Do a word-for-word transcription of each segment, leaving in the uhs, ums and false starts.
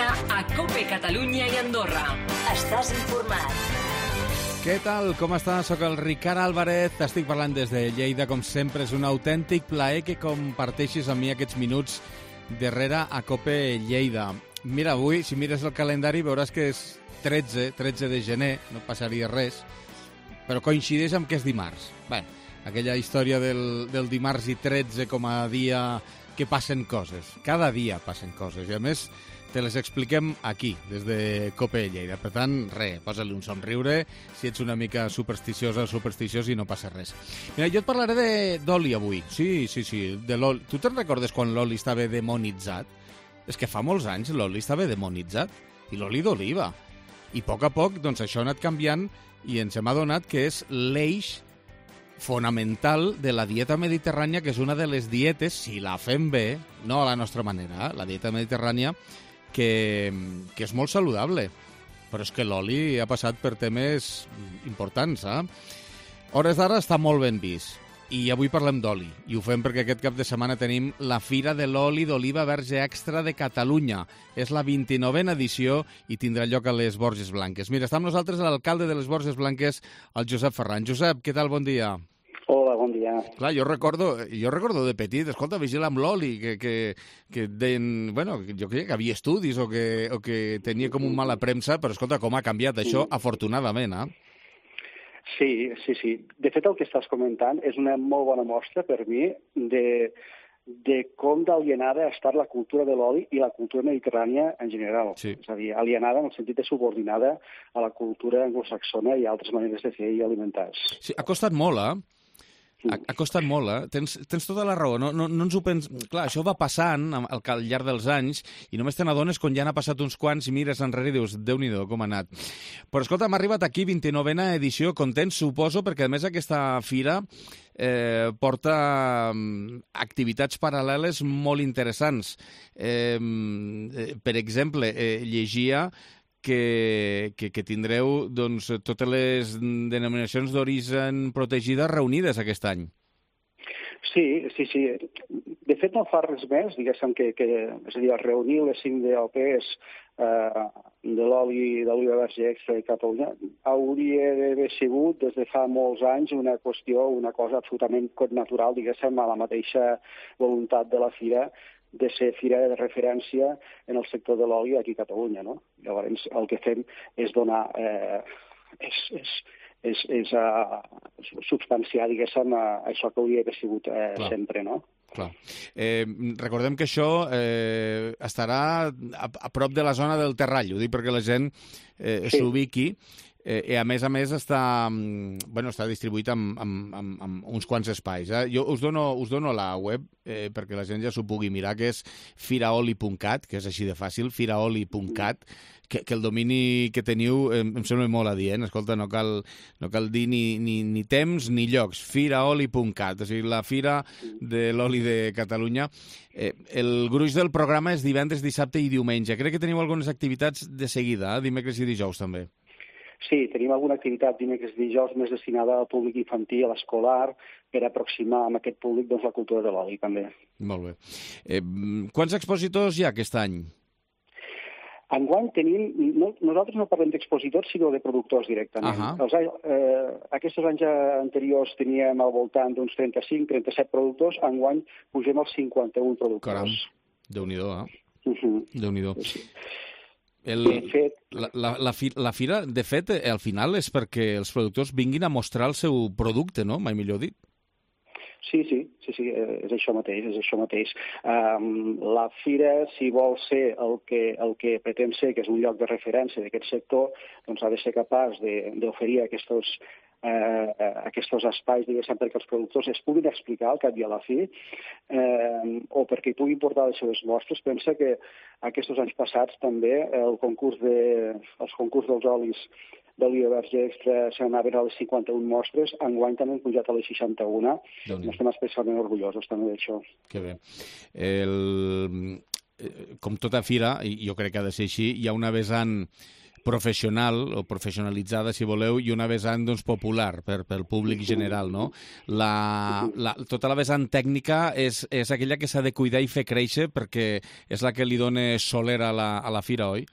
setmana a COPE Catalunya i Andorra. Estàs informat. Què tal? Com estàs? Soc el Ricard Álvarez, t'estic parlant des de Lleida. Com sempre, és un autèntic plaer que comparteixis amb mi aquests minuts darrere a COPE Lleida. Mira, avui, si mires el calendari, veuràs que és tretze, tretze de gener, no passaria res, però coincideix amb que és dimarts. Bé, aquella història del, del dimarts i tretze com a dia que passen coses. Cada dia passen coses, i a més te les expliquem aquí, des de COPE Lleida. Per tant, res, posa-li un somriure si ets una mica supersticiosa o supersticiós i no passa res. Mira, jo et parlaré d'oli avui. Sí, sí, sí, de l'oli. Tu te'n recordes quan l'oli estava demonitzat? És que fa molts anys l'oli estava demonitzat, i l'oli d'oliva. I a poc a poc, doncs, això ha anat canviant i ens hem adonat que és l'eix fonamental de la dieta mediterrània, que és una de les dietes, si la fem bé, no a la nostra manera, la dieta mediterrània, que, que és molt saludable. Però és que l'oli ha passat per temes importants, eh? Hores d'ara està molt ben vist. I avui parlem d'oli, i ho fem perquè aquest cap de setmana tenim la Fira de l'Oli d'Oliva Verge Extra de Catalunya. És la vint-i-novena edició i tindrà lloc a les Borges Blanques. Mira, està amb nosaltres l'alcalde de les Borges Blanques, el Josep Ferran. Josep, què tal? Bon dia. Hola, bon dia. Clar, jo recordo, jo recordo de petit, escolta, vigila amb l'oli, que, que, que deien, bueno, jo creia que havia estudis o que, o que tenia com un mala premsa, però escolta, com ha canviat això, afortunadament, eh? Sí, sí, sí. De fet, el que estàs comentant és una molt bona mostra per mi de, de com d'alienada ha estat la cultura de l'oli i la cultura mediterrània en general. Sí. És a dir, alienada en el sentit de subordinada a la cultura anglosaxona i altres maneres de fer i alimentar-se. Sí, ha costat molt, eh? Ha, ha costat molt, eh? Tens, tens tota la raó. No, no, no ens ho pens... Clar, això va passant al, al llarg dels anys i només te n'adones quan ja n'ha passat uns quants i mires enrere i dius, Déu-n'hi-do, com ha anat. Però escolta, hem arribat aquí, vint-i-novena edició, contents, suposo, perquè a més aquesta fira eh, porta um, activitats paral·leles molt interessants. Eh, per exemple, eh, llegia Que, que, que tindreu doncs, totes les denominacions d'origen protegides reunides aquest any. Sí, sí, sí. De fet, no fa res més, diguéssim, que, que és a dir, reunir les cinc D L Ps eh, de l'oli d'oliva verge extra de Catalunya hauria d'haver sigut, des de fa molts anys, una qüestió, una cosa absolutament natural, diguéssim, a la mateixa voluntat de la fira, de ser fira de referència en el sector de l'oli aquí a Catalunya, no? Llavors, el que fem és donar, eh, és, és, és, és uh, substanciar, diguéssim, uh, això que hauria d'haver sigut eh, sempre, no? Clar. Eh, recordem que això eh, estarà a, a prop de la zona del Terrall, ho dic perquè la gent eh, sí. s'ubiqui. Eh, I a més a més està, bueno, està distribuït en, en, en, en uns quants espais. Eh? Jo us dono, us dono la web eh, perquè la gent ja s'ho pugui mirar, que és firaoli punt cat, que és així de fàcil, firaoli punt cat, que, que el domini que teniu eh, em sembla molt adient. Escolta, no cal, no cal dir ni, ni, ni temps ni llocs. firaoli punt cat, o sigui, la Fira de l'Oli de Catalunya. Eh, el gruix del programa és divendres, dissabte i diumenge. Crec que teniu algunes activitats de seguida, eh? Dimecres i dijous també. Sí, tenim alguna activitat dimecres i dijous més destinada al públic infantil, a l'escolar, per aproximar amb aquest públic doncs, la cultura de l'oli, també. Molt bé. Eh, quants expositors hi ha aquest any? Enguany tenim... No, nosaltres no parlem d'expositors, sinó de productors directament. Uh-huh. Els, eh, aquests anys anteriors teníem al voltant d'uns trenta-cinc trenta-set productors, enguany pugem als cinquanta-un productors. Caram, Déu-n'hi-do, eh? Uh-huh. Déu-n'hi-do. Sí. El, fet, la, la, la, fi, la fira, de fet, al final és perquè els productors vinguin a mostrar el seu producte, no? Mai millor dit. Sí, sí, sí, sí, és això mateix, és això mateix. Um, la fira, si vol ser el que, el que pretén ser, que és un lloc de referència d'aquest sector, doncs ha de ser capaç d'oferir aquests eh, aquests espais, diguéssim, perquè els productors es puguin explicar al cap i a la fi, eh, o perquè hi puguin portar les seves mostres. Pensa que aquests anys passats també el concurs de, els concurs dels olis d'oliva verge extra s'anaven a les cinquanta-un mostres, enguany també han pujat a les seixanta-una. Estem especialment orgullosos també d'això. Que bé. El... Com tota fira, i jo crec que ha de ser així, hi ha una vessant professional o professionalitzada, si voleu, i una vessant doncs, popular per, pel públic general, no? La, la, tota la vessant tècnica és, és aquella que s'ha de cuidar i fer créixer perquè és la que li dona soler a la, a la fira, oi?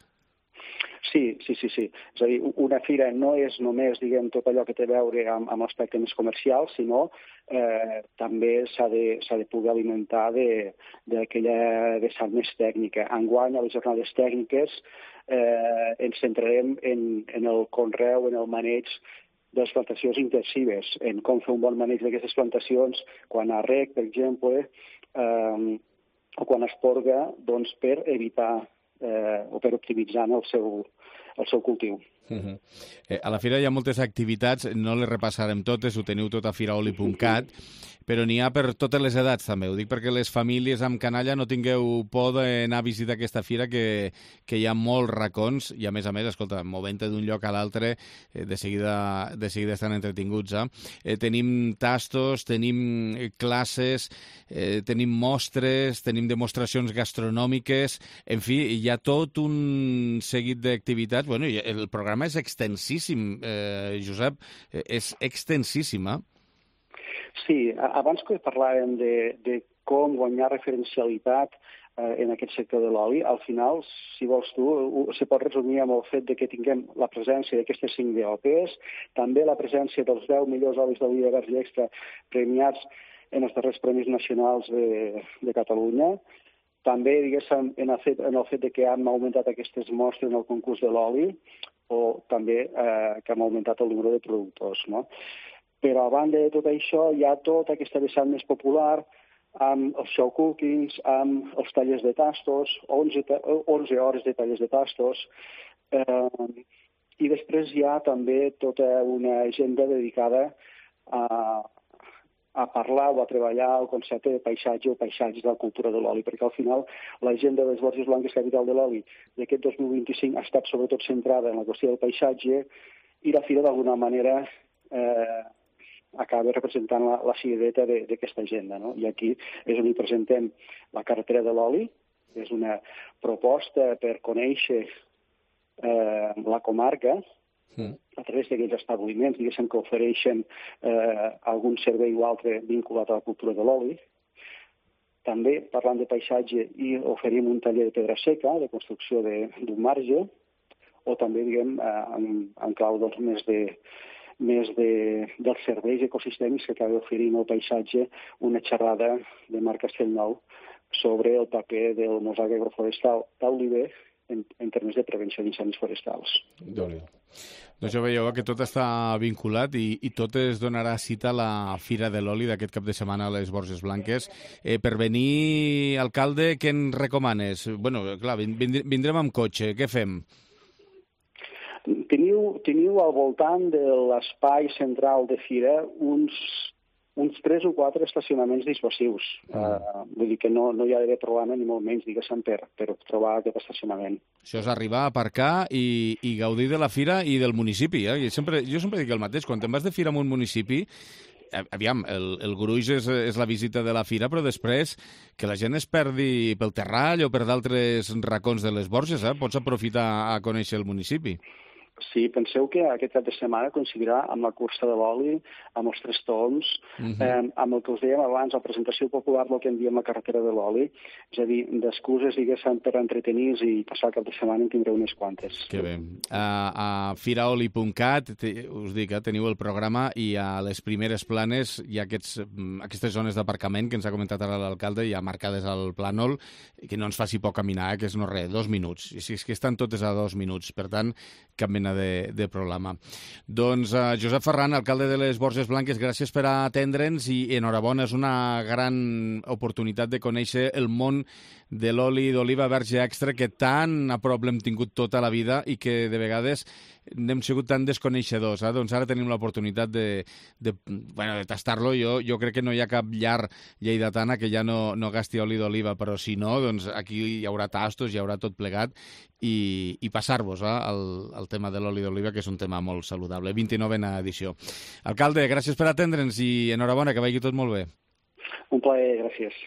Sí, sí, sí, sí. És a dir, una fira no és només, diguem, tot allò que té a veure amb, amb l'aspecte més comercial, sinó eh, també s'ha de, s'ha de poder alimentar d'aquella vessant més tècnica. Enguany, a les jornades tècniques, eh, ens centrarem en, en el conreu, en el maneig de les plantacions intensives, en com fer un bon maneig d'aquestes plantacions, quan a rec, per exemple, eh, o quan es porga, doncs, per evitar eh, o per optimitzar el seu, el seu cultiu. Uh-huh. eh, a la fira hi ha moltes activitats, no les repassarem totes, ho teniu tot a firaoli punt cat, però n'hi ha per totes les edats també, ho dic perquè les famílies amb canalla no tingueu por d'anar a visitar aquesta fira, que, que hi ha molts racons i a més a més, escolta, movent-te d'un lloc a l'altre, eh, de seguida, de seguida estan entretinguts. Eh? Eh, tenim tastos, tenim classes, eh, tenim mostres, tenim demostracions gastronòmiques, en fi, hi ha tot un seguit d'activitats. Bueno, el programa és extensíssim, eh, Josep, eh, és extensíssim, eh? Sí, abans que parlàvem de, de com guanyar referencialitat eh, en aquest sector de l'oli, al final, si vols tu, se pot resumir amb el fet de que tinguem la presència d'aquestes cinc D O Ps, també la presència dels deu millors olis d'oliva verge extra premiats en els darrers premis nacionals de, de Catalunya, també, diguéssim, en el, fet, en el fet de que hem augmentat aquestes mostres en el concurs de l'oli, o també eh, que hem augmentat el número de productors, no? Però a banda de tot això hi ha tota aquesta vessant més popular amb els show cookings, amb els tallers de tastos, onze, onze hores de tallers de tastos, eh, i després hi ha també tota una agenda dedicada a, a parlar o a treballar el concepte de paisatge o paisatges de la cultura de l'oli, perquè al final l'agenda de les Borges Blanques Capital de l'Oli d'aquest dos mil vint-i-cinc ha estat sobretot centrada en la qüestió del paisatge, i la fira d'alguna manera eh, acaba representant la, la cirereta d'aquesta agenda, no? I aquí és on hi presentem la carretera de l'oli, és una proposta per conèixer eh, la comarca mm. a través d'aquells establiments, diguéssim, que ofereixen eh, algun servei o altre vinculat a la cultura de l'oli. També, parlant de paisatge, i oferim un taller de pedra seca, de construcció d'un marge, o també, diguem, eh, en, en clau doncs, més de més de, dels serveis ecosistèmics que acaba oferint el paisatge, una xerrada de Marc Castellnou sobre el paper del mosaic agroforestal d'oliver en, en termes de prevenció d'incendis forestals. Déu-n'hi-do. Doncs ja veieu que tot està vinculat i, i tot es donarà cita a la Fira de l'Oli d'aquest cap de setmana a les Borges Blanques. Eh, per venir, alcalde, què ens recomanes? Bueno, clar, vindrem amb cotxe, què fem? Teniu, teniu al voltant de l'espai central de fira uns, uns tres o quatre estacionaments dissuasius. Mm. Uh, vull dir que no, no hi ha d'haver problema ni molt menys, diguéssim, per, per trobar aquest estacionament. Això és arribar a aparcar i, i gaudir de la fira i del municipi. Eh? Jo, sempre, jo sempre dic el mateix, quan te'n vas de fira en un municipi, aviam, el, el gruix és, és la visita de la fira, però després que la gent es perdi pel Terrall o per d'altres racons de les Borges, eh? Pots aprofitar a conèixer el municipi. Sí, penseu que aquest cap de setmana coincidirà amb la cursa de l'oli, amb els tres toms, uh-huh. eh, amb el que us dèiem abans, la presentació popular del que en diem la carretera de l'oli, és a dir, d'excuses, diguéssim, per entretenir i passar el cap de setmana en tindreu unes quantes. Que bé. A, a firaoli punt cat, us dic, eh, teniu el programa i a les primeres planes hi ha aquests, aquestes zones d'aparcament que ens ha comentat ara l'alcalde, ja marcades al plànol, que no ens faci por caminar, eh, que és no res, dos minuts. I si és que estan totes a dos minuts, per tant, cap mena de, de problema. Doncs uh, Josep Ferran, alcalde de les Borges Blanques, gràcies per atendre'ns i enhorabona, és una gran oportunitat de conèixer el món de l'oli d'oliva verge extra que tan a prop l'hem tingut tota la vida i que de vegades n'hem sigut tan desconeixedors. Eh? Doncs ara tenim l'oportunitat de, de, bueno, de tastar-lo. Jo, jo crec que no hi ha cap llar lleidatana que ja no, no gasti oli d'oliva, però si no, doncs aquí hi haurà tastos, hi haurà tot plegat i, i passar-vos eh, el, el tema de l'oli d'oliva, que és un tema molt saludable. vint-i-novena edició. Alcalde, gràcies per atendre'ns i enhorabona, que vagi tot molt bé. Un plaer, gràcies.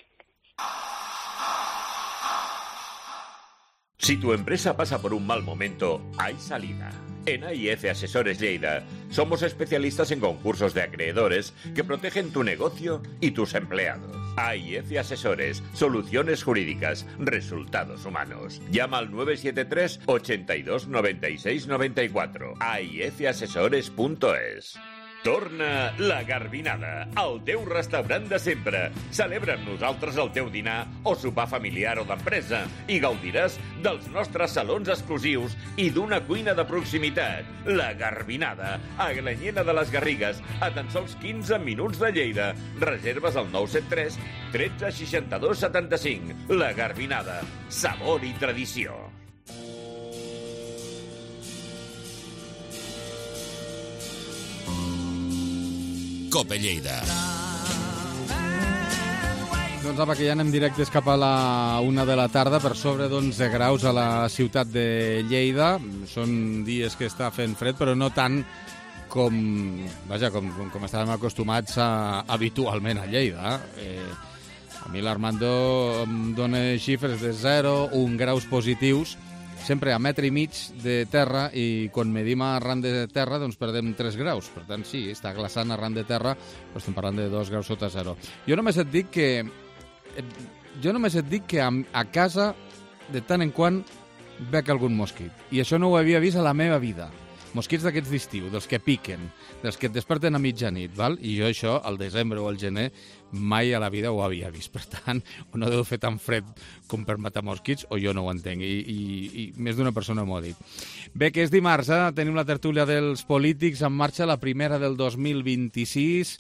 Si tu empresa pasa por un mal momento, hay salida. En A I F Asesores Lleida somos especialistas en concursos de acreedores que protegen tu negocio y tus empleados. A I F Asesores, soluciones jurídicas, resultados humanos. Llama al nueve siete tres, ochenta y dos, noventa y seis, noventa y cuatro. A I F asesores punto es. Torna la Garbinada, el teu restaurant de sempre. Celebra amb nosaltres el teu dinar o sopar familiar o d'empresa i gaudiràs dels nostres salons exclusius i d'una cuina de proximitat. La Garbinada, a Glanyena de les Garrigues, a tan sols quinze minuts de Lleida. Reserves al nou set tres, tretze, seixanta-dos, setanta-cinc. La Garbinada, sabor i tradició. Cope Lleida. Doncs apa, que ja anem directes cap a la una de la tarda, per sobre d'onze graus a la ciutat de Lleida. Són dies que està fent fred, però no tant com, vaja, com, com, com estàvem acostumats a, habitualment a Lleida. Eh, a mi l'Armando em dona xifres de zero, un graus positius, sempre a metre i mig de terra, i quan medim arran de terra doncs perdem tres graus. Per tant, sí, està glaçant arran de terra, però estem parlant de dos graus sota zero. Jo només et dic que jo només et dic que a, a casa de tant en quant bec algun mosquit. I això no ho havia vist a la meva vida. Mosquits d'aquests d'estiu, dels que piquen, dels que et desperten a mitjanit, val? I jo això, al desembre o al gener, mai a la vida ho havia vist. Per tant, o no deu fer tan fred com per matar mosquits, o jo no ho entenc. I, i, i més d'una persona m'ho ha dit. Bé, que és dimarts, eh? Tenim la tertúlia dels polítics en marxa, la primera del dos mil vint-i-sis.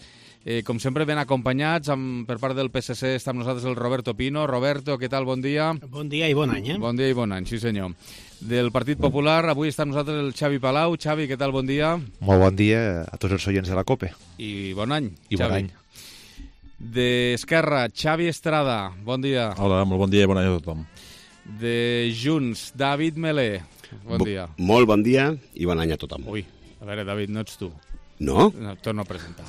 Eh, com sempre, ben acompanyats. Amb, per part del P S C està amb nosaltres el Roberto Pino. Roberto, què tal? Bon dia. Bon dia i bon any, eh? Bon dia i bon any, sí senyor. Del Partit Popular, avui està amb nosaltres el Xavi Palau. Xavi, què tal? Bon dia. Molt bon dia a tots els oients de la COPE. I bon any, I Xavi. bon any. D'Esquerra, Xavi Estrada. Bon dia. Hola, molt bon dia i bon any a tothom. De Junts, David Melé. Bon Bo dia. Molt bon dia i bon any a tothom. Ui, a veure, David, no ets tu. No? No, torno a presentar.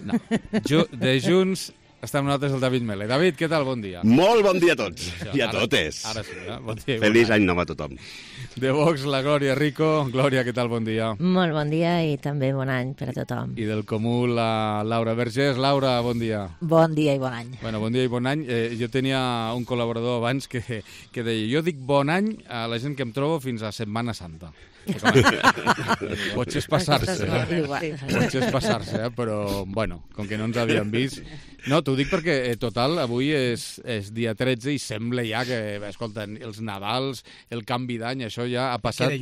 No. Ju de Junts està amb nosaltres el David Melé. David, què tal? Bon dia. Molt bon dia a tots Això, i a ara, totes. Ara sí, eh? Bon dia. Feliç bon any nou a tothom. De Vox, la Glòria Rico. Glòria, què tal? Bon dia. Molt bon dia i també bon any per a tothom. I del Comú, la Laura Vergés. Laura, bon dia. Bon dia i bon any. Bueno, bon dia i bon any. Eh, jo tenia un col·laborador abans que, que deia, jo dic bon any a la gent que em trobo fins a Setmana Santa. Potser és passar-se, eh? Potser és passar-se, eh? Però, bueno, com que no ens havíem vist... No, t'ho dic perquè, eh, total, avui és, és dia tretze i sembla ja que, escolta, els Nadals, el canvi d'any, això ja ha passat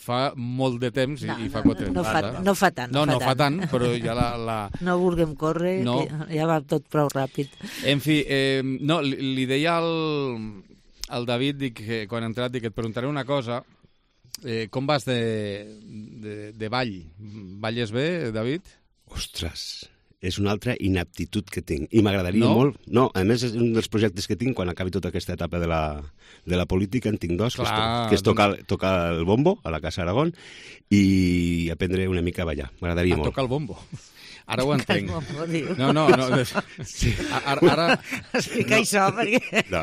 fa molt de temps i, no, i fa quatre no, no, fa, eh? no fa tant. No, no, no fa tant, però ja la... la... No vulguem córrer, no. Que ja va tot prou ràpid. En fi, eh, no, li, li deia al, al David, dic, que quan ha entrat, dic, et preguntaré una cosa. Eh, com vas de, de, de ball? Balles bé, David? Ostres, és una altra inaptitud que tinc. I m'agradaria no? molt... No, a més, és un dels projectes que tinc quan acabi tota aquesta etapa de la, de la política. En tinc dos, Clar, que és, que és tocar, doncs... tocar el bombo a la Casa Aragón i aprendre una mica a ballar. M'agradaria molt. A tocar el bombo. Ara ho entenc. No, no, no. Sí. Ara, ara... Explica no. això, perquè... No,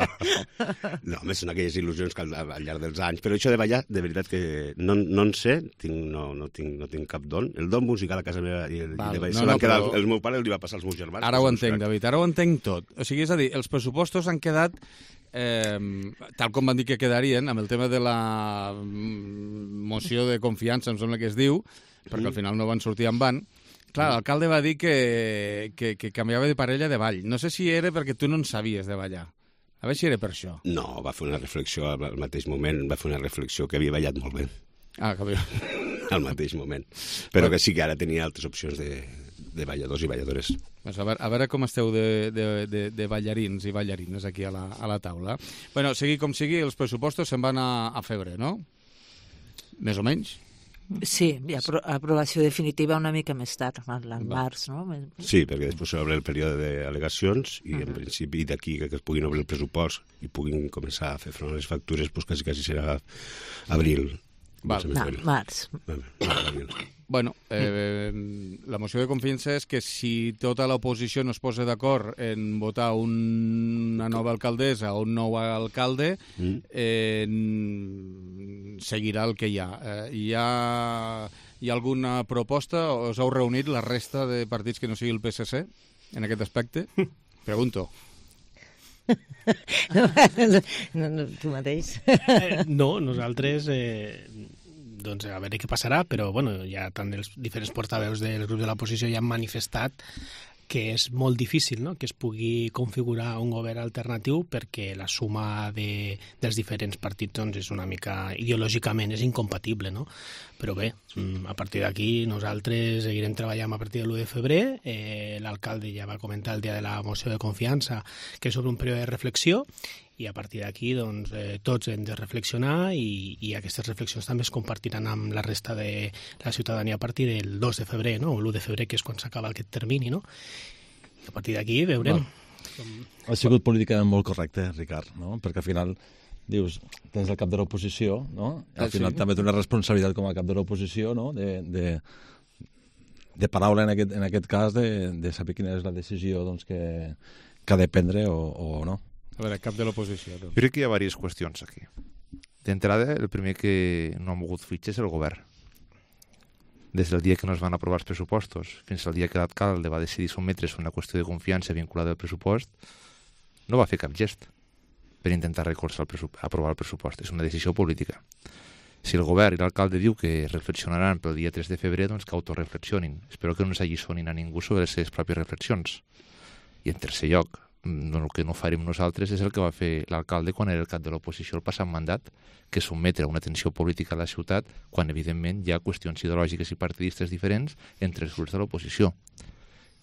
no, més són aquelles il·lusions que al, al llarg dels anys. Però això de ballar, de veritat que no, no en sé, tinc, no, no, tinc, no tinc cap don. El don musical a casa meva i el, Val, i de ballar, no, no, quedar, però... el meu pare li va passar als meus germans. Ara ho entenc, David, ara ho entenc tot. O sigui, és a dir, els pressupostos han quedat... Eh, tal com van dir que quedarien, amb el tema de la moció de confiança, em sembla que es diu, perquè al final no van sortir en van. Clar, l'alcalde va dir que, que, que canviava de parella de ball. No sé si era perquè tu no en sabies de ballar. A veure si era per això. No, va fer una reflexió al mateix moment, va fer una reflexió que havia ballat molt bé. Ah, que havia... al mateix moment. Però que sí que ara tenia altres opcions de, de balladors i balladores. Pues a, veure, a veure com esteu de, de, de, de ballarins i ballarines aquí a la, a la taula. Bueno, sigui com sigui, els pressupostos se'n van a, a febrer, no? Més o menys? Sí, i apro aprovació definitiva una mica més tard, al març, no? Sí, perquè després s'obre el període d'al·legacions i, uh -huh. en principi, d'aquí que es puguin obrir el pressupost i puguin començar a fer front a les factures, doncs quasi, quasi serà abril. Val. No, març. Bueno, eh, la moció de confiança és que si tota l'oposició no es posa d'acord en votar un, una nova alcaldessa o un nou alcalde, eh, seguirà el que hi ha. Eh, hi ha. Hi ha alguna proposta? Us heu reunit la resta de partits que no sigui el P S C en aquest aspecte? Pregunto. No, no, tu mateix. Eh, no, nosaltres... Eh, doncs a veure què passarà, però bueno, ja tant els diferents portaveus dels grups de l'oposició ja han manifestat que és molt difícil, no?, que es pugui configurar un govern alternatiu perquè la suma de, dels diferents partits doncs, és una mica, ideològicament, és incompatible, no? Però bé, a partir d'aquí nosaltres seguirem treballant a partir de l'u de febrer. Eh, l'alcalde ja va comentar el dia de la moció de confiança que és sobre un període de reflexió, i a partir d'aquí doncs, eh, tots hem de reflexionar i, i aquestes reflexions també es compartiran amb la resta de la ciutadania a partir del dos de febrer, no? O l'u de febrer, que és quan s'acaba aquest termini, no? I a partir d'aquí veurem. Com... Ha sigut políticament molt correcte, Ricard, no? Perquè al final dius, tens el cap de l'oposició, no? Al final sí. També té una responsabilitat com a cap de l'oposició, no? De, de, de paraula en aquest, en aquest cas, de, de saber quina és la decisió doncs, que, que ha de prendre o, o no. A veure, cap de l'oposició. Jo crec que hi ha diverses qüestions aquí. D'entrada, el primer que no ha mogut fitxa és el govern. Des del dia que no es van aprovar els pressupostos fins al dia que l'alcalde va decidir sotmetre's una qüestió de confiança vinculada al pressupost, no va fer cap gest per intentar recolzar el aprovar el pressupost. És una decisió política. Si el govern i l'alcalde diu que reflexionaran pel dia tres de febrer, doncs que autoreflexionin. Espero que no ens alliçonin a ningú sobre les seves pròpies reflexions. I en tercer lloc, el que no farem nosaltres és el que va fer l'alcalde quan era el cap de l'oposició el passat mandat, que és sotmetre una tensió política a la ciutat quan, evidentment, hi ha qüestions ideològiques i partidistes diferents entre els grups de l'oposició.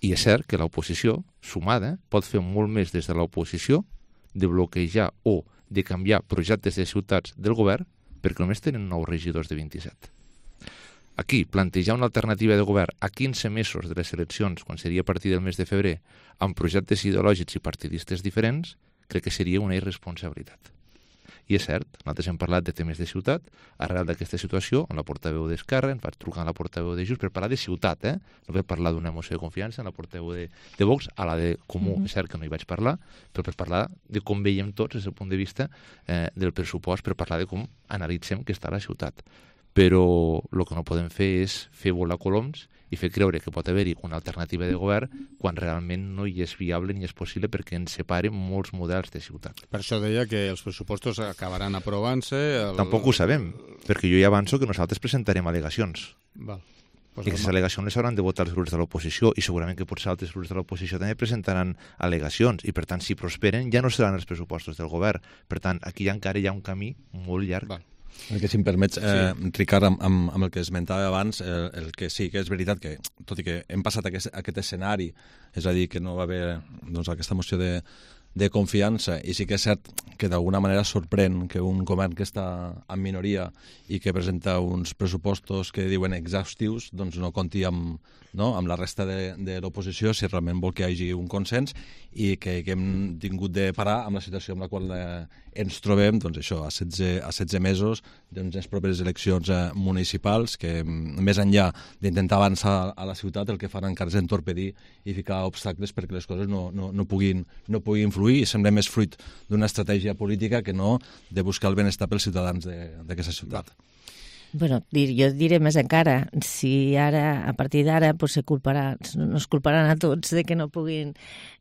I és cert que l'oposició, sumada, pot fer molt més des de l'oposició de bloquejar o de canviar projectes de ciutats del govern perquè només tenen nou regidors de vint-i-set. Aquí, plantejar una alternativa de govern a quinze mesos de les eleccions, quan seria a partir del mes de febrer, amb projectes ideològics i partidistes diferents, crec que seria una irresponsabilitat. I és cert, nosaltres hem parlat de temes de ciutat, arrel d'aquesta situació, amb la portaveu d'Esquerra, ens vaig trucar a la portaveu de Junts per parlar de ciutat, eh? No vaig parlar d'una moció de confiança, amb la portaveu de, de Vox, a la de Comú, mm-hmm. És cert que no hi vaig parlar, però per parlar de com veiem tots des del punt de vista eh, del pressupost, per parlar de com analitzem que està la ciutat. Però el que no podem fer és fer volar coloms i fer creure que pot haver-hi una alternativa de govern quan realment no hi és viable ni és possible perquè ens separen molts models de ciutat. Per això deia que els pressupostos acabaran aprovant-se... El... Tampoc ho sabem, perquè jo ja avanço que nosaltres presentarem al·legacions. Val. Pues I aquestes al·legacions les hauran de votar els grups de l'oposició i segurament que potser altres grups de l'oposició també presentaran al·legacions i per tant si prosperen ja no seran els pressupostos del govern. Per tant, aquí encara hi ha un camí molt llarg. Val. El que, si em permets, eh, sí. Ricard, amb, amb, amb el que esmentava abans, eh, el que sí que és veritat que, tot i que hem passat aquest, aquest escenari, és a dir, que no va haver doncs, aquesta moció de, de confiança, i sí que és cert que d'alguna manera sorprèn que un govern que està en minoria i que presenta uns pressupostos que diuen exhaustius, doncs no compti amb, no, amb la resta de, de l'oposició si realment vol que hi hagi un consens i que, que hem tingut de parar amb la situació amb la qual eh, ens trobem, doncs això, a setze, a setze mesos d'unes properes eleccions eh, municipals que més enllà d'intentar avançar a la ciutat el que fan encara és entorpedir i ficar obstacles perquè les coses no, no, no, puguin, no puguin fluir i sembla més fruit d'una estratègia política que no de buscar el benestar pels ciutadans d'aquesta ciutat. Bueno, dir, jo diré més encara, si ara, a partir d'ara, pues, se culparà, no es culparan a tots de que no puguin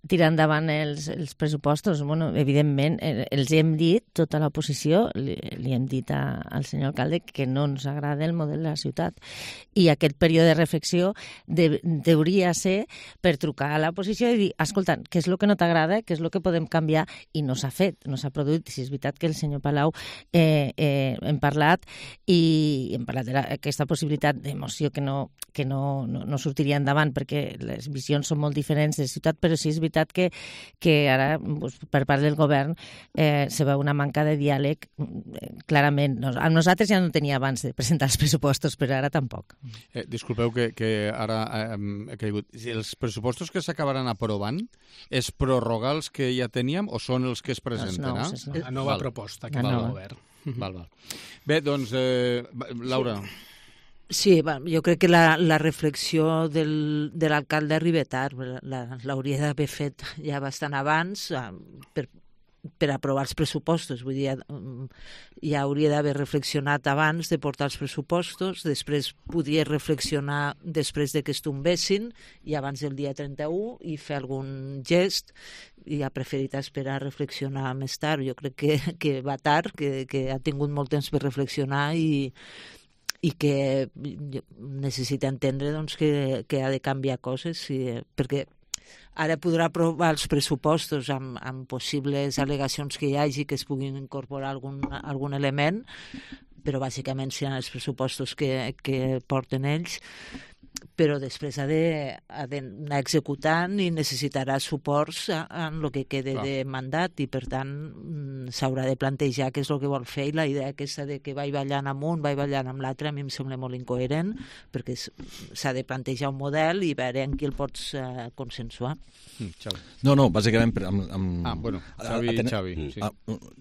tirar endavant els, els pressupostos. Bueno, evidentment, els hem dit, tota l'oposició, li, li hem dit a, al senyor alcalde que no ens agrada el model de la ciutat. I aquest període de reflexió de, deuria ser per trucar a l'oposició i dir, escolta, què és el que no t'agrada, què és el que podem canviar, i no s'ha fet, no s'ha produït. Si és veritat que el senyor Palau eh, eh, hem parlat i hem parlat d'aquesta possibilitat de moció que no, que no, no, no sortiria endavant perquè les visions són molt diferents de ciutat, però sí és veritat que, que ara pues, per part del govern eh, se veu una manca de diàleg eh, clarament. Nos, a nosaltres ja no tenia abans de presentar els pressupostos, però ara tampoc. Eh, disculpeu que, que ara eh, he caigut. Els pressupostos que s'acabaran aprovant és prorrogar els que ja teníem o són els que es presenten? Els nous, la nova Val. proposta que fa el govern. Val, val. Bé, doncs, eh, Laura... Sí, va, jo crec que la, la reflexió del, de l'alcalde arriba tard, l'hauria d'haver fet ja bastant abans per, per aprovar els pressupostos. Vull dir, ja hauria d'haver reflexionat abans de portar els pressupostos, després podria reflexionar després de que es tombessin i abans del dia trenta-u i fer algun gest, i ha preferit esperar a reflexionar més tard. Jo crec que, que va tard, que, que ha tingut molt temps per reflexionar i i que necessita entendre doncs, que, que ha de canviar coses, i, perquè ara podrà aprovar els pressupostos amb, amb possibles al·legacions que hi hagi que es puguin incorporar algun, algun element, però bàsicament seran els pressupostos que, que porten ells, però després ha d'anar executant i necessitarà suports en el que quede Clar. de mandat, i per tant s'haurà de plantejar què és el que vol fer, i la idea aquesta de que vaig ballant amb un, vaig ballant amb l'altre, a mi em sembla molt incoherent, perquè s'ha de plantejar un model i veure en qui el pots uh, consensuar. Mm, Xavi. No, no, bàsicament... Amb, amb, ah, bueno, Xavi, aten... Xavi. Sí. Ah,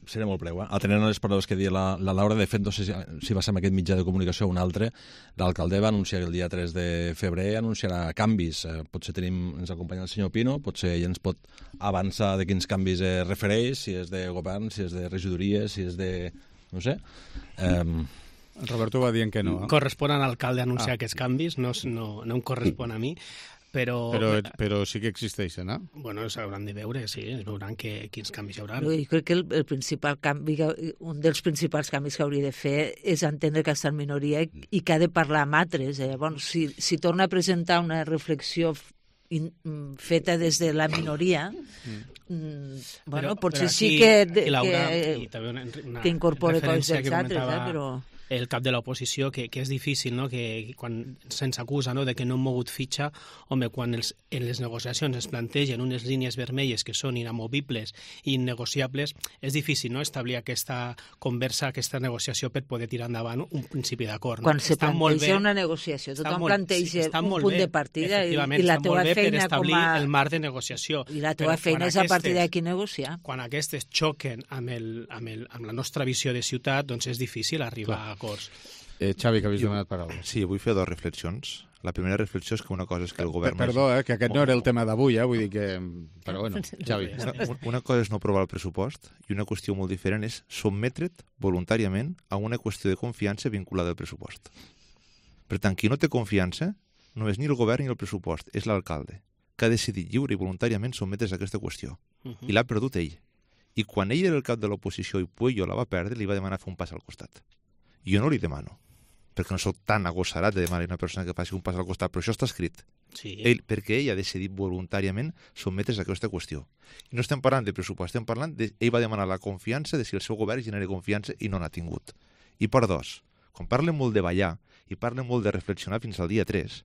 seré molt breu, eh? Atenent a les paraules que dia la, la Laura, de fet, no sé si, si va ser amb aquest mitjà de comunicació o un altre, l'alcalde va anunciar que el dia tres de febrer anunciarà canvis. Eh, potser tenim, ens acompanya el senyor Pino, potser ell ens pot avançar de quins canvis es refereix, si és de govern, si és de regidories, si és de... no sé... Eh, Roberto va dient que no. Eh? Correspon a l'alcalde anunciar ah. aquests canvis, no, no, no em correspon a mi. Però, però, però sí que existeixen, eh? Bueno, s'hauran de veure, sí, es veuran que, quins canvis hi haurà. Jo crec que el, el principal canvi, un dels principals canvis que hauria de fer és entendre que està en minoria i, i que ha de parlar amb altres. Eh? Bon, si, si torna a presentar una reflexió in, feta des de la minoria, mm. mm, bueno, però, potser però aquí, sí que, de, Laura, que, una, una que incorpore coses dels altres, eh? Però... el cap de l'oposició, que, que és difícil, no? Que quan se'ns acusa, no? de que no hem mogut fitxa, home, quan els, en les negociacions es plantegen unes línies vermelles que són inamovibles i innegociables, és difícil, no? establir aquesta conversa, aquesta negociació per poder tirar endavant un principi d'acord. No? Quan se està planteja una negociació, tothom molt, planteja sí, un punt bé, de partida i, i la teva feina com a... el marc de negociació. I la teva feina és a partir d'aquí negociar. Quan aquestes xoquen amb, el, amb, el, amb la nostra visió de ciutat, doncs és difícil arribar Clar. a acords. Eh, Xavi, que havies donat paraula. Sí, vull fer dues reflexions. La primera reflexió és que una cosa és que el govern... Per, perdó, eh, que aquest no era el tema d'avui, eh, vull dir que... Però bueno, Xavi. Una, una cosa és no aprovar el pressupost i una qüestió molt diferent és sotmetre't voluntàriament a una qüestió de confiança vinculada al pressupost. Per tant, qui no té confiança no és ni el govern ni el pressupost, és l'alcalde, que ha decidit lliure i voluntàriament sotmetre's a aquesta qüestió. Uh-huh. I l'ha perdut ell. I quan ell era el cap de l'oposició i Puello la va perdre, li va demanar fer un pas al costat. Jo no li demano, perquè no soc tan agossarat de demanar a una persona que faci un pas al costat, però això està escrit. Sí. Ell, perquè ell ha decidit voluntàriament sotmetre's a aquesta qüestió. I no estem parlant de pressupost, estem parlant de... Ell va demanar la confiança de si el seu govern genera confiança i no n'ha tingut. I per dos, quan parlen molt de ballar i parlen molt de reflexionar fins al dia tres,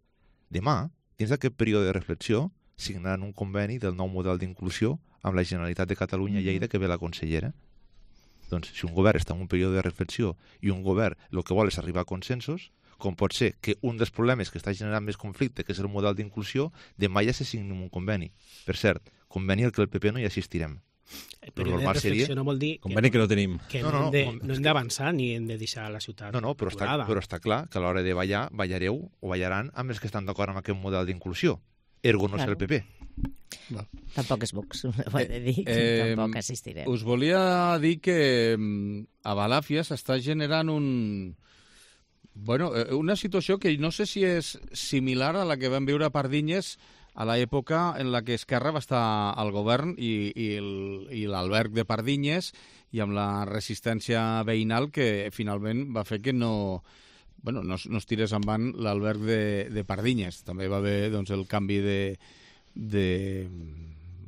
demà, dins d'aquest període de reflexió, signaran un conveni del nou model d'inclusió amb la Generalitat de Catalunya i Lleida, que ve la consellera. Doncs si un govern està en un període de reflexió i un govern el que vol és arribar a consensos, com pot ser que un dels problemes que està generant més conflicte, que és el model d'inclusió, demà ja se signi un conveni. Per cert, conveni al que el P P no hi assistirem. El període de reflexió seria... no vol dir... Conveni que no tenim. Que no, no, no, no, no hem d'avançar ni hem de deixar la ciutat. No, no, però està, però està clar que a l'hora de ballar, ballareu o ballaran amb els que estan d'acord amb aquest model d'inclusió. Ergo no claro. És el P P. Va. Tampoc és Vox, ho he de dir, que eh, tampoc assistirem. Us volia dir que a Balàfia s'està generant un... Bueno, una situació que no sé si és similar a la que vam viure a Pardinyes a l'època en la que Esquerra va estar al govern i, i l'alberg de Pardinyes i amb la resistència veïnal que finalment va fer que no... Bueno, no, no es tirés en van l'alberg de, de Pardinyes. També va haver doncs, el canvi de, de,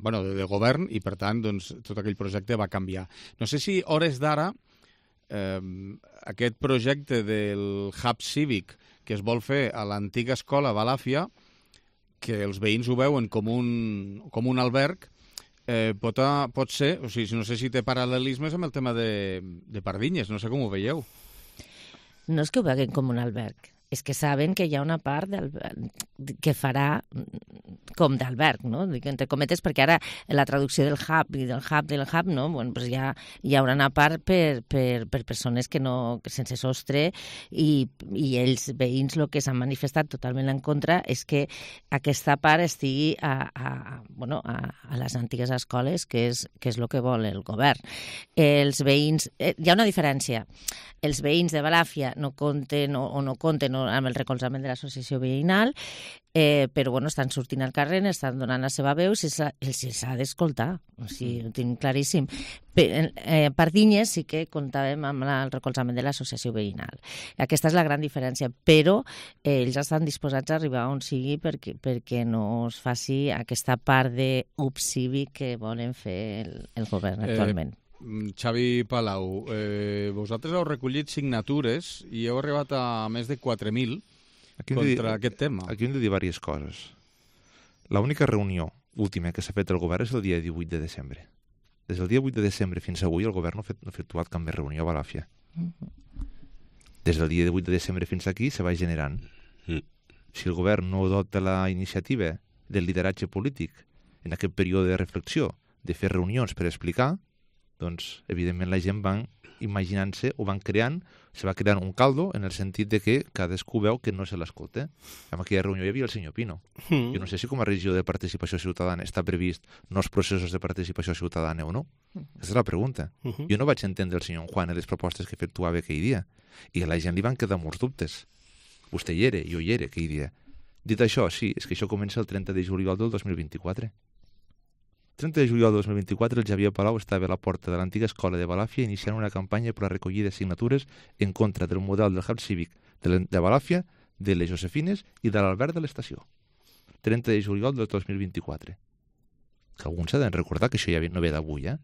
bueno, de, de govern i, per tant, doncs, tot aquell projecte va canviar. No sé si, hores d'ara, eh, aquest projecte del hub cívic que es vol fer a l'antiga escola Balàfia, que els veïns ho veuen com un, com un alberg, eh, pot, a, pot ser, o sigui, no sé si té paral·lelismes amb el tema de, de Pardinyes, no sé com ho veieu. No és que ho veguin com un alberg, és que saben que hi ha una part del, que farà com d'alberg, no? Dic entre cometes, perquè ara la traducció del hub i del hub del hub, no? Bueno, pues ja hi haurà una part per, per, per persones que no, sense sostre, i, i els veïns el que s'han manifestat totalment en contra és que aquesta part estigui a, a, bueno, a, a les antigues escoles, que és, que és el que vol el govern. Els veïns... Eh, hi ha una diferència. Els veïns de Balàfia no compten o, o no compten amb el recolzament de l'associació veïnal, eh, però bueno, estan sortint al carrer, estan donant la seva veu, si els s'ha d'escoltar, o sigui, ho tinc claríssim. Per, eh, per Dinyes sí que comptàvem amb la, el recolzament de l'associació veïnal. Aquesta és la gran diferència, però eh, ells estan disposats a arribar on sigui perquè, perquè no es faci aquesta part d'ús cívic que volen fer el, el govern actualment. Eh... Xavi Palau, eh, vosaltres heu recollit signatures i heu arribat a més de quatre mil contra dir, aquest tema. Aquí hem de dir diverses coses. L'única reunió última que s'ha fet el govern és el dia divuit de desembre. Des del dia vuit de desembre fins avui el govern no ha, fet, no ha efectuat cap més reunió a Balàfia. Des del dia vuit de desembre fins aquí se va generant. Si el govern no adopta la iniciativa del lideratge polític en aquest període de reflexió, de fer reunions per explicar, doncs, evidentment, la gent van imaginant-se o van creant, se va creant un caldo en el sentit de que cadascú veu que no se l'escolta. En aquella reunió hi havia el senyor Pino. Mm. Jo no sé si com a regidor de participació ciutadana està previst nous processos de participació ciutadana o no. Mm. Aquesta és la pregunta. Mm -hmm. Jo no vaig entendre el senyor Juan en les propostes que efectuava aquell dia. I a la gent li van quedar molts dubtes. Vostè hi era, jo hi era aquell dia. Dit això, sí, és que això comença el trenta de juliol del dos mil vint-i-quatre. trenta de juliol de dos mil vint-i-quatre, el Xavier Palau estava a la porta de l'antiga escola de Balàfia iniciant una campanya per a recollir de signatures en contra del model del hub cívic de, de Balàfia, de les Josefines i de l'Albert de l'estació. trenta de juliol del dos mil vint-i-quatre. Que alguns s'ha de recordar que això ja no ve d'avui, eh?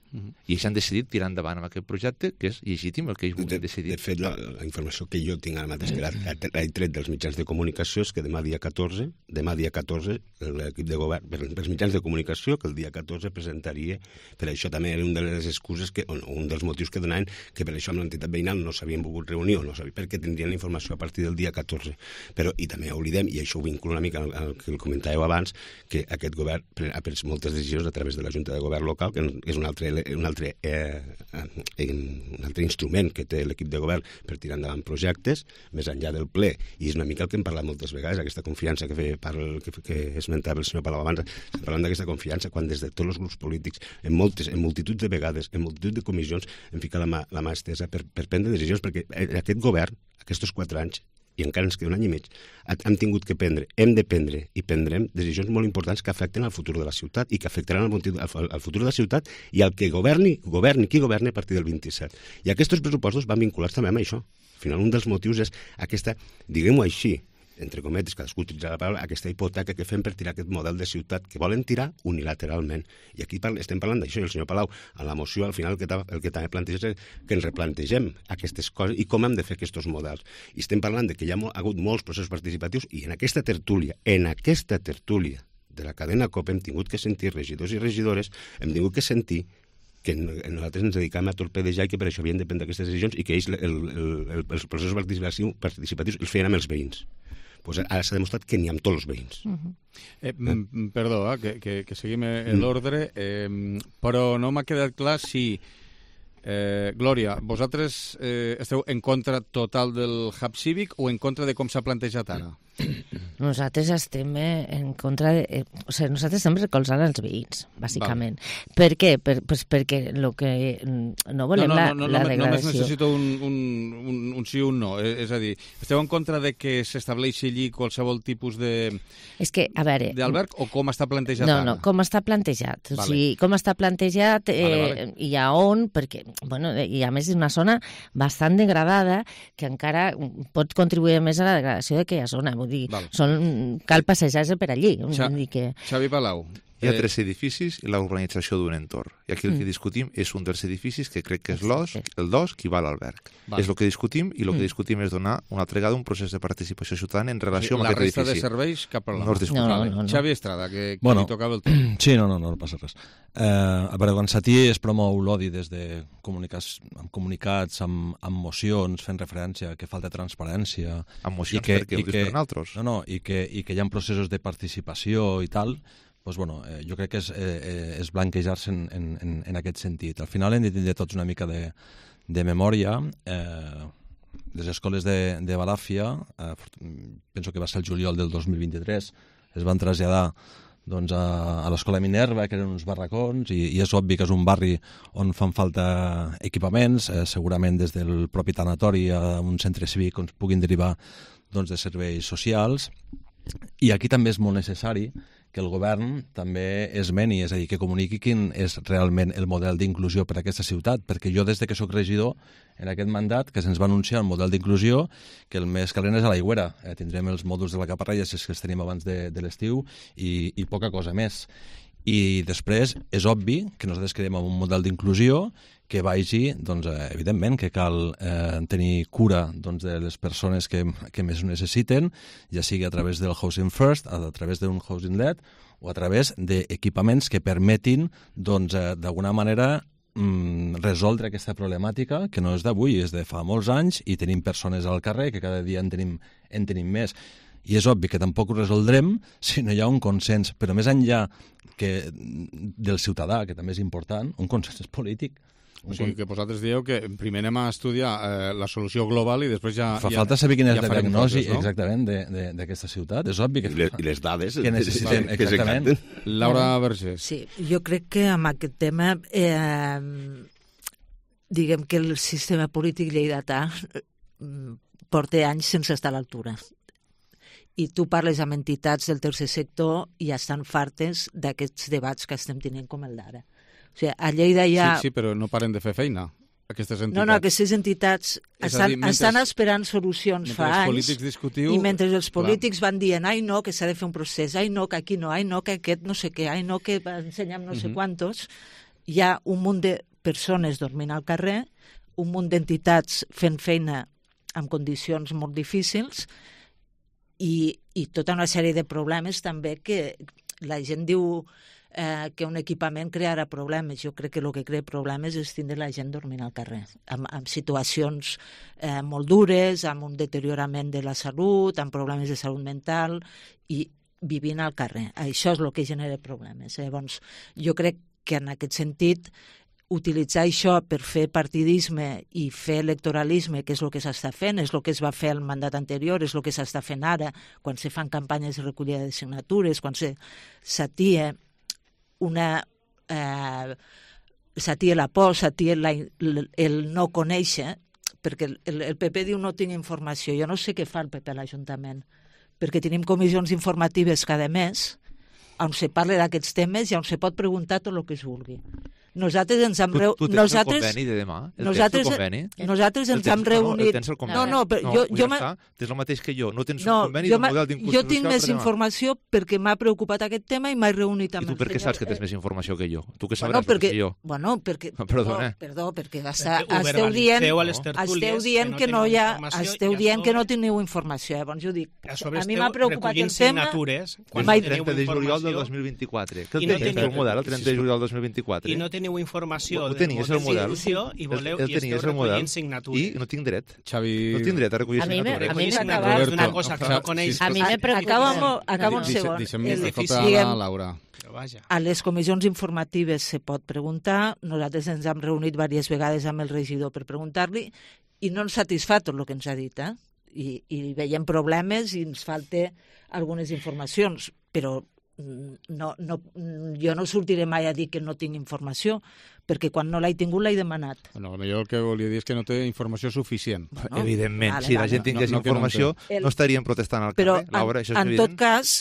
Uh-huh. I ells han decidit tirar endavant amb aquest projecte, que és legítim el que ells vulguin decidir. De fet, la, la informació que jo tinc ara mateix, que l'he tret dels mitjans de comunicació, és que demà dia catorze, demà dia catorze, l'equip de govern, per, per els mitjans de comunicació, que el dia catorze presentaria, per això també era una de les excuses, que, un dels motius que donaven, que per això amb l'entitat veïnal no s'havien volgut reunir, o no sabien, perquè tindrien la informació a partir del dia catorze. Però, i també oblidem, i això ho vinculo una mica al, al que el comentàveu abans, que aquest govern ha pres moltes decisions a través de la Junta de Govern Local, que és un altre un altre, eh, un altre instrument que té l'equip de govern per tirar endavant projectes, més enllà del ple, i és una mica el que hem parlat moltes vegades, aquesta confiança que, fe, parla, que, que esmentava el senyor Palau abans, estem parlant d'aquesta confiança quan des de tots els grups polítics, en moltes, en multitud de vegades, en multitud de comissions, hem ficat la mà, la mà estesa per, per prendre decisions, perquè aquest govern, aquests quatre anys, i encara ens queda un any i mig, hem tingut que prendre, hem de prendre i prendrem decisions molt importants que afecten al futur de la ciutat i que afectaran al futur de la ciutat i al que governi, governi qui governi a partir del vint-i-set. I aquests pressupostos van vinculats també amb això. Al final, un dels motius és aquesta, diguem-ho així, entre cometes, cadascú utilitza la paraula, aquesta hipoteca que fem per tirar aquest model de ciutat que volen tirar unilateralment. I aquí estem parlant d'això, i el senyor Palau, en la moció, al final, el que, el que també planteja és que ens replantegem aquestes coses i com hem de fer aquests models. I estem parlant de que hi ha, ha hagut molts processos participatius i en aquesta tertúlia, en aquesta tertúlia de la cadena COPE hem tingut que sentir regidors i regidores, hem tingut que sentir que nosaltres ens dedicàvem a torpedejar i que per això havien de prendre aquestes decisions i que ells el, el, el, els processos participatius els feien amb els veïns. Pues ara s'ha demostrat que n'hi ha amb tots els veïns. Uh-huh. eh, eh? Perdó, eh, que, que, que seguim l'ordre, eh, però no m'ha quedat clar si... Eh, Glòria, vosaltres eh, esteu en contra total del hub cívic o en contra de com s'ha plantejat ara? Nosaltres estem en contra de... Eh, o sigui, nosaltres estem recolzant els veïns, bàsicament. Val. Per què? Per, pues perquè lo que no volem no, no, no, no, la, la degradació... Només necessito un, un, un, un sí o un no. És, és a dir, esteu en contra de que s'estableixi allí qualsevol tipus de... És que, a veure... d'alberg o com està plantejat no, ara? No, no, com està plantejat. Vale. O sigui, com està plantejat eh, vale, vale. i a on, perquè, bueno, i a més és una zona bastant degradada que encara pot contribuir més a la degradació d'aquella zona. Vull dir, vale. són, cal passejar-se per allí. Xa, dir que... Xavi Palau. Hi ha tres edificis i la urbanització d'un entorn. I aquí el que discutim és un dels edificis que crec que és l'os, el dos, qui va a l'alberg. És el que discutim i el que discutim és donar una altra vegada un procés de participació ciutadana en relació amb aquest edifici. La resta de serveis, cap problema. No es discutim. No, no, no. Xavi Estrada, que, que bueno, li tocava el torn. Sí, no, no, no, no passa res. Eh, a veure, quan s'atí es promou l'odi des de comunicats, amb comunicats, amb, amb mocions, fent referència que falta transparència. Amb mocions que, perquè ho dius per nosaltres. No, no, i que, i que hi ha processos de participació i tal, doncs, bueno, eh, jo crec que és, eh, és blanquejar-se en, en, en aquest sentit. Al final hem de tindre tots una mica de, de memòria. Eh, les escoles de, de Balàfia, eh, penso que va ser el juliol del dos mil vint-i-tres, es van traslladar doncs, a, a l'escola Minerva, que eren uns barracons, i, i és obvi que és un barri on fan falta equipaments, eh, segurament des del propi tanatori a un centre cívic on es puguin derivar doncs, de serveis socials. I aquí també és molt necessari que el govern també esmeni, és a dir, que comuniqui quin és realment el model d'inclusió per a aquesta ciutat, perquè jo des de que sóc regidor en aquest mandat que se'ns va anunciar el model d'inclusió, que el més calent és a l'Aigüera. Eh, tindrem els mòduls de la Caparrella, si és que els tenim abans de, de l'estiu, i, i poca cosa més. I després és obvi que nosaltres quedem amb un model d'inclusió que vagi, doncs, eh, evidentment, que cal eh, tenir cura doncs, de les persones que, que més ho necessiten, ja sigui a través del Housing First, a través d'un Housing Led, o a través d'equipaments que permetin, doncs, eh, d'alguna manera, mm, resoldre aquesta problemàtica, que no és d'avui, és de fa molts anys, i tenim persones al carrer, que cada dia en tenim, en tenim més. I és obvi que tampoc ho resoldrem si no hi ha un consens, però més enllà que del ciutadà, que també és important, un consens polític. O sigui, que vosaltres dieu que primer anem a estudiar eh, la solució global i després ja... Fa ja, falta saber quina és ja la diagnosi, coses, no? exactament, d'aquesta ciutat. És obvi que... I les, i les dades que necessitem, que exactament. Laura Vergés. Sí, jo crec que amb aquest tema eh, diguem que el sistema polític lleidatà porta anys sense estar a l'altura. I tu parles amb entitats del tercer sector i ja estan fartes d'aquests debats que estem tenint com el d'ara. O sigui, a Lleida hi ha... Sí, sí, però no paren de fer feina, aquestes entitats. No, no, aquestes entitats estan, dir, mentre, estan esperant solucions fa anys discutiu... i mentre els polítics clar. van dient ai no, que s'ha de fer un procés, ai no, que aquí no, ai no, que aquest no sé què, ai no, que ensenyem no sé uh -huh. quantos, hi ha un munt de persones dormint al carrer, un munt d'entitats fent feina en condicions molt difícils i, i tota una sèrie de problemes també que la gent diu eh, que un equipament crearà problemes. Jo crec que el que crea problemes és tindre la gent dormint al carrer, amb, amb situacions eh, molt dures, amb un deteriorament de la salut, amb problemes de salut mental i vivint al carrer. Això és el que genera problemes. Llavors, jo crec que en aquest sentit utilitzar això per fer partidisme i fer electoralisme, que és el que s'està fent, és el que es va fer al mandat anterior, és el que s'està fent ara, quan se fan campanyes de recollida de signatures, quan s'atia una... Eh, s'atia la por, s'atia la, el, el no conèixer, perquè el, el P P diu no tinc informació. Jo no sé què fa el P P a l'Ajuntament, perquè tenim comissions informatives cada mes on se parla d'aquests temes i on se pot preguntar tot el que es vulgui. Nosaltres ens hem reunit... Tu, tu tens nosaltres, el conveni de demà? El nosaltres, tens el conveni? Nosaltres ens hem reunit... No, no, no, però no, jo... jo ja està, tens el mateix que jo. No tens no, un conveni jo d'un model d'inclusió social. Jo tinc més informació perquè m'ha preocupat aquest tema i m'he reunit amb... I tu per què saps que tens més informació que jo? Tu què sabràs bueno, perquè, que jo? Bueno, perquè... Perdona. No, perdó, perquè està, esteu dient, esteu dient que no hi ha... Esteu dient que no teniu informació. Llavors jo dic, a mi m'ha preocupat el tema... El trenta de juliol del dos mil vint-i-quatre. Què el tenies, el model, el trenta de juliol del dos mil vint-i-quatre? I no teniu informació ho tenies, el model. I, voleu, el, el i esteu recollint signatures. I no tinc dret. Xavi... No tinc dret a recollir a signatures. A mi m'ha acabat d'una cosa que no coneix. A mi m'he preocupat. Acaba un segon. Deixa'm Laura. A les comissions informatives se pot preguntar. Nosaltres ens hem reunit diverses vegades amb el regidor per preguntar-li i no ens satisfà tot el que ens ha dit, eh? I, i veiem problemes i ens falta algunes informacions, però no, no, jo no sortiré mai a dir que no tinc informació, perquè quan no l'he tingut l'he demanat. Bueno, potser el que volia dir és que no té informació suficient. Bueno, evidentment, vale, si la gent tingués no, no, informació no, no, no estaríem protestant al però carrer. Laura, això és en evident. tot cas,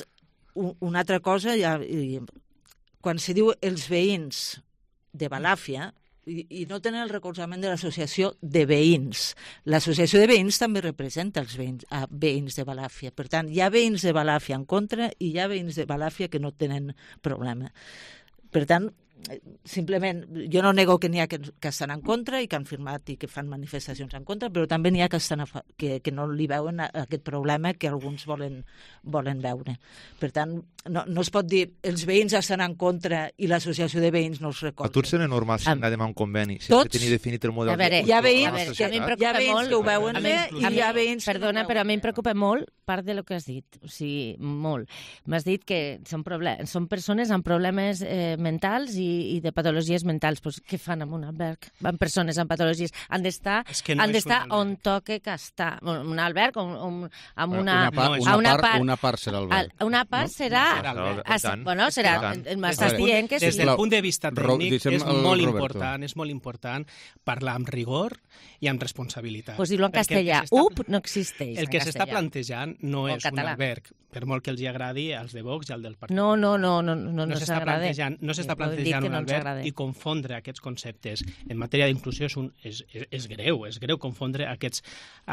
una altra cosa, ja, quan se diu els veïns de Balàfia, i, i no tenen el recolzament de l'associació de veïns. L'associació de veïns també representa els veïns, a veïns de Balàfia. Per tant, hi ha veïns de Balàfia en contra i hi ha veïns de Balàfia que no tenen problema. Per tant, simplement, jo no nego que n'hi ha que, que estan en contra i que han firmat i que fan manifestacions en contra, però també n'hi ha que, estan a, que, que no li veuen a, a aquest problema que alguns volen, volen veure. Per tant, no, no es pot dir els veïns estan en contra i l'associació de veïns no els recolza. A tu et sembla normal signar demà un conveni sense Tots, tenir definit el model? A veure, hi ha veïns, a veure, que, a mi em hi ha veïns molt, que ho veuen bé i hi ha veïns... Perdona, però a mi em preocupa molt part de lo que has dit, o sigui, molt. M'has dit que són, problem són persones amb problemes eh, mentals i, i de patologies mentals. Pues, què fan en un alberg? Van persones amb patologies. Han d'estar no han d'estar on toque que està. Un alberg on, on, amb una... Una, part, una, una, part, una part serà alberg. Una part no? serà... serà bueno, serà... M'estàs dient que sí. Des del punt de vista tècnic és molt Roberto. important, és molt important parlar amb rigor i amb responsabilitat. Pues dir-lo en castellà. U P no existeix. El que s'està plantejant no és un alberg, per molt que els agradi als de Vox i al del Partit. No, no, no, no, no, no s'està plantejant, no s'està plantejant un no alberg i confondre aquests conceptes en matèria d'inclusió és, un, és, és, és greu, és greu confondre aquests,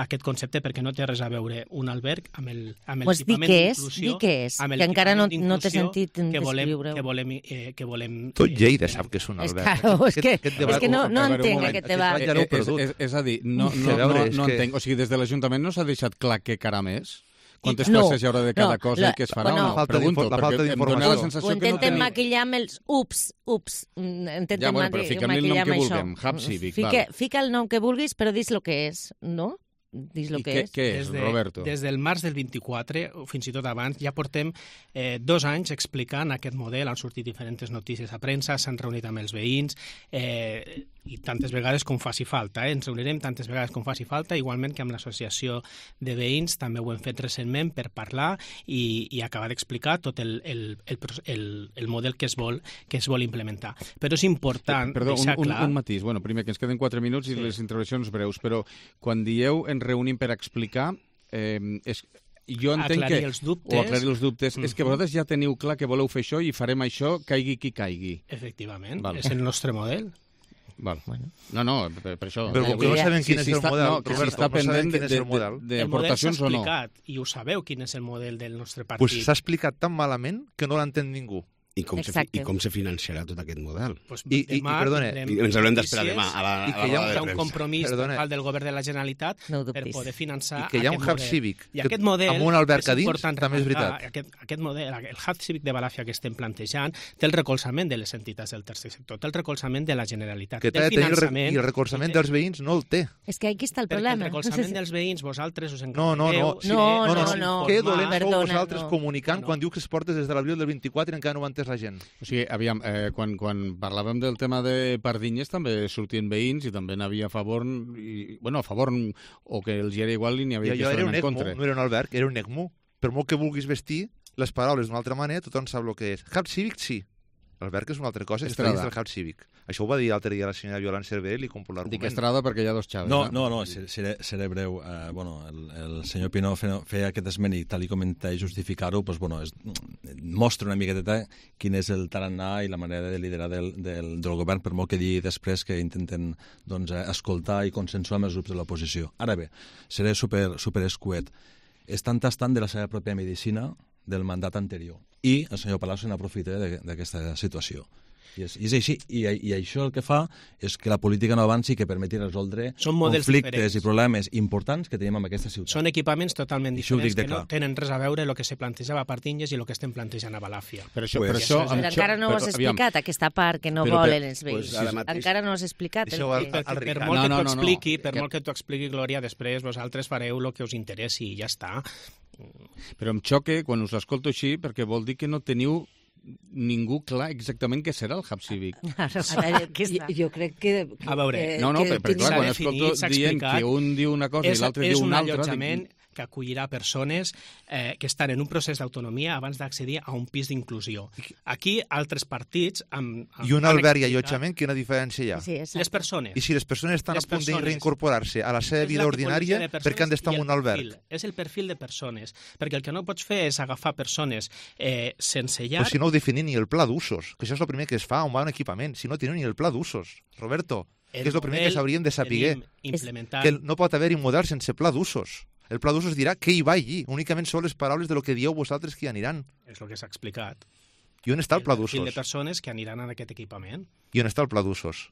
aquest concepte perquè no té res a veure un alberg amb el, amb el pues equipament d'inclusió, que que encara no, no t'he sentit que volem, descriure-ho. Que volem, eh, que volem... Tot Lleida sap que és un alberg. És, claro, és que, és que no, no entenc aquest debat. És, és, és a dir, no, no, no, no entenc. O sigui, des de l'Ajuntament no s'ha deixat clar què caram és? Quantes no, places hi haurà de cada no, cosa la, i què es farà? Bueno, no, falta pregunto, la falta perquè em dóna la sensació ho que no intenten teniu... maquillar amb els ups, ups. Intenten ja, bueno, però fiquem-li el nom que vulguem, Hub Civic. Fica, fica el nom que vulguis, però dis el que és, no? Dis el que què, és. Què és, des de, Roberto? Des del març del vint-i-quatre, o fins i tot abans, ja portem eh, dos anys explicant aquest model, han sortit diferents notícies a premsa, s'han reunit amb els veïns, eh, i tantes vegades com faci falta. Eh? Ens reunirem tantes vegades com faci falta, igualment que amb l'associació de veïns, també ho hem fet recentment per parlar i, i acabar d'explicar tot el, el, el, el, el model que es vol que es vol implementar. Però és important Perdó, deixar un, clar... Un, un matís. Bueno, primer, que ens queden quatre minuts i sí. les intervencions breus, però quan dieu ens reunim per explicar, eh, és... Jo entenc aclarir que, els dubtes. o aclarir els dubtes, mm-hmm. és que vosaltres ja teniu clar que voleu fer això i farem això, caigui qui caigui. Efectivament, Val. és el nostre model. Val. Bueno. No, no, per, per això. Però com que no sabem quin si, és si el està, model, no, que si està pendent de, de, de, de aportacions o no. I ho sabeu quin és el model del nostre partit. Pues s'ha explicat tan malament que no l'entén ningú. I com, se, I com se financiarà tot aquest model? Pues I, i, i, perdona, I ens haurem d'esperar demà a la, a i la que hi ha, roda de un premsa. compromís Perdona. total del govern de la Generalitat no per poder finançar I que hi ha un hub model. cívic I aquest model, amb un alberg a dins, important també és veritat. Aquest, aquest model, el hub cívic de Balàfia que estem plantejant té el recolzament de les entitats del tercer sector, té el recolzament de la Generalitat. Que té el finançament, i el recolzament dels veïns no el té. És que aquí està el problema. Perquè el recolzament dels veïns vosaltres us no, no, no, sí, no, no, no, no. Que dolents sou vosaltres no. comunicant no. quan diu que es portes des de l'abril del vint-i-quatre i encara no ho ha entès la gent. O sigui, aviam, eh, quan, quan parlàvem del tema de Pardinyes també sortien veïns i també n'havia a favor, i, bueno, a favor o que els era igual i n'hi havia jo, que estaven en Jo era un contra. ECMO, no era un alberg, era un ECMO. Per molt que vulguis vestir les paraules d'una altra manera, tothom sap el que és. Hub Cívic, sí. L'alberg és una altra cosa, està dins del Hub Cívic. Això ho va dir l'altre dia la senyora Violant Cervell i com per l'argument. Dic Estrada perquè hi ha dos xaves. No, no, no, seré, seré breu. Uh, bueno, el, el senyor Pinó feia, feia aquest esment i tal i com intenta justificar-ho, pues, bueno, és, mostra una miqueta quin és el tarannà i la manera de liderar del, del, del govern, per molt que digui després que intenten doncs, escoltar i consensuar amb els grups de l'oposició. Ara bé, seré super, super escuet. Estan tastant de la seva pròpia medicina del mandat anterior. I el senyor Palau se n'aprofita d'aquesta situació. I és, i és així. I, I això el que fa és que la política no avanci i que permeti resoldre conflictes diferents. I problemes importants que tenim en aquesta ciutat. Són equipaments totalment diferents que no tenen res a veure el que se plantejava a Pardinyes i el que estem plantejant a Balàfia. Per això, per això, però encara no ho has explicat, aquesta part que no volen els veïns. Encara no has explicat. Per molt que t'ho expliqui, per molt que t'ho expliqui, Glòria, després vosaltres fareu el que us interessi i ja està. Però em xoca quan us escolto així perquè vol dir que no teniu ningú clar exactament què serà el hub cívic. jo, jo crec que... A veure... Eh, no, no, perquè clar, quan escolto dient que un diu una cosa i l'altre diu una altra... Allotjament, que acollirà persones eh, que estan en un procés d'autonomia abans d'accedir a un pis d'inclusió. Aquí, altres partits... Amb, amb I un alberg i allotjament, quina diferència hi ha? Sí, les persones. I si les persones estan les a punt de reincorporar-se a la seva vida ordinària, per què han d'estar en un alberg? És el perfil de persones, perquè el que no pots fer és agafar persones eh, sense llar... Però si no ho definim ni el pla d'usos, que això és el primer que es fa on va un equipament, si no teniu ni el pla d'usos. Roberto, el que és el primer que s'hauríem de saber, que no pot haver-hi un model sense pla d'usos. El pla d'usos dirà què hi va allí, únicament són les paraules de lo que dieu vosaltres que hi aniran. És el que s'ha explicat. I on està el pla d'usos? El perfil de persones que aniran en aquest equipament. I on està el pla d'usos?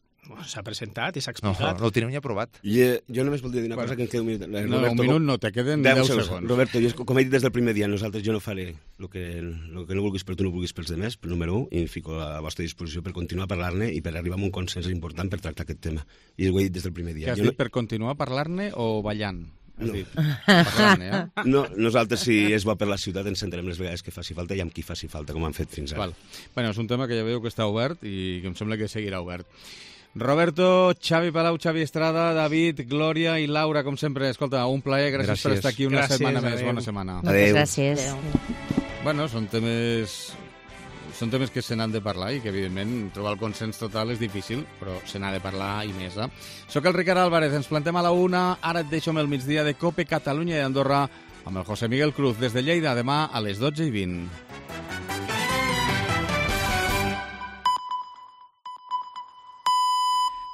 S'ha presentat i s'ha No, explicat. no ho tenim ni aprovat. I, eh, jo només voldria dir una cosa que em queda un minut. Eh, No, Roberto, un minut no, te queden deu segons. Roberto, jo, com he dit des del primer dia, nosaltres jo no faré el que, el que no vulguis per tu, no vulguis pels demés, però número un, i em fico a la vostra disposició per continuar a parlar-ne i per arribar a un consens important per tractar aquest tema. I ho he dit des del primer dia. Que has Jo dit per continuar parlant-ne o ballant? Has No. dit parlant-ne, eh? No, nosaltres, si és bo per la ciutat, ens sentarem les vegades que faci falta i amb qui faci falta, com han fet fins ara. Val. Bueno, és un tema que ja veieu que està obert i que em sembla que seguirà obert. Roberto, Xavi Palau, Xavi Estrada, David, Glòria i Laura, com sempre. Escolta, un plaer, gràcies, gràcies. per estar aquí una gràcies, setmana adeu. més. Bona setmana. Moltes gràcies. Bueno, són temes... Són temes que se n'han de parlar i que, evidentment, trobar el consens total és difícil, però se n'ha de parlar i més. Eh? Soc el Ricard Álvarez, ens plantem a la una, ara et deixo amb el migdia de Cope Catalunya i Andorra amb el José Miguel Cruz des de Lleida, demà a les dotze i vint.